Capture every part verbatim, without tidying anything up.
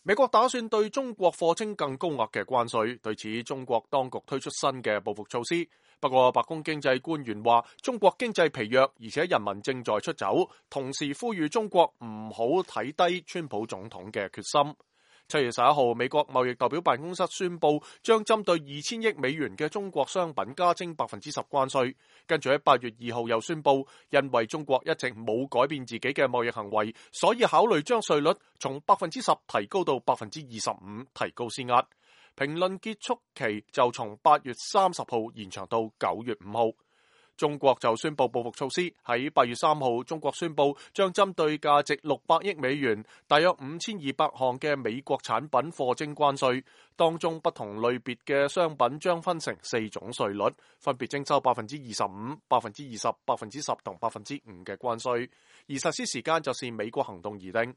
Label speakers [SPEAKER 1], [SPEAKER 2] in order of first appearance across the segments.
[SPEAKER 1] 美國打算對中國課徵更高額嘅關稅，對此中國當局推出新嘅報復措施。不過白宮經濟官員話，中國經濟疲弱，而且人民正在出走，同時呼籲中國唔好睇低川普總統嘅決心。七月十一號，美國貿易代表辦公室宣布將針對二千億美元嘅中國商品加徵百分之十關稅。跟住喺八月二號又宣布，因為中國一直冇改變自己嘅貿易行為，所以考慮將稅率從百分之十提高到百分之二十五，提高施壓。評論結束期就從八月三十號延長到九月五號。中國就宣布報復措施，喺八月三號，中國宣布將針對價值六百億美元、大約五千二百項嘅美國產品課徵關稅，當中不同類別嘅商品將分成四種稅率，分別徵收百分之二十五、百分之二十、百分之十同百分之五嘅關稅，而實施時間就是美國行動而定。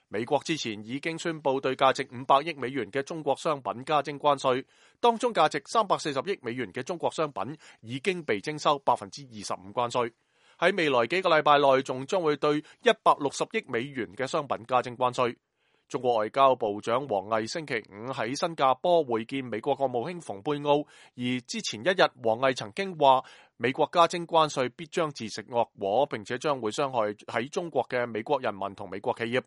[SPEAKER 1] 美國之前已經宣布對價值五百億美元嘅中國商品加徵關稅，當中價值三百四十億美元嘅中國商品已經被徵收百分之二十五關稅。喺未來幾個禮拜內，仲將會對一百六十億美元嘅商品加徵關稅。中國外交部長王毅星期五喺新加坡會見美國國務卿蓬佩奧，而之前一日，王毅曾經話美國加徵關稅必將自食惡果，並且將會傷害喺中國嘅美國人民同美國企業。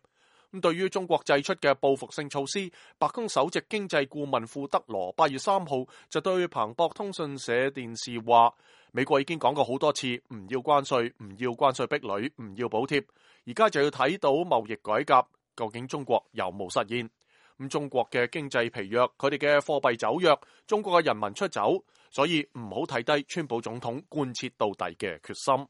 [SPEAKER 1] 咁對於中國祭出嘅報復性措施，白宮首席經濟顧問庫德羅八月三號就對彭博通訊社電視話，美國已經講過好多次唔要關稅，唔要關稅壁壘，唔要補貼，而家就要睇到貿易改革，究竟中國有冇實現？咁中國嘅經濟疲弱，佢哋嘅貨幣走弱，中國嘅人民出走，所以唔好睇低川普總統貫徹到底嘅決心。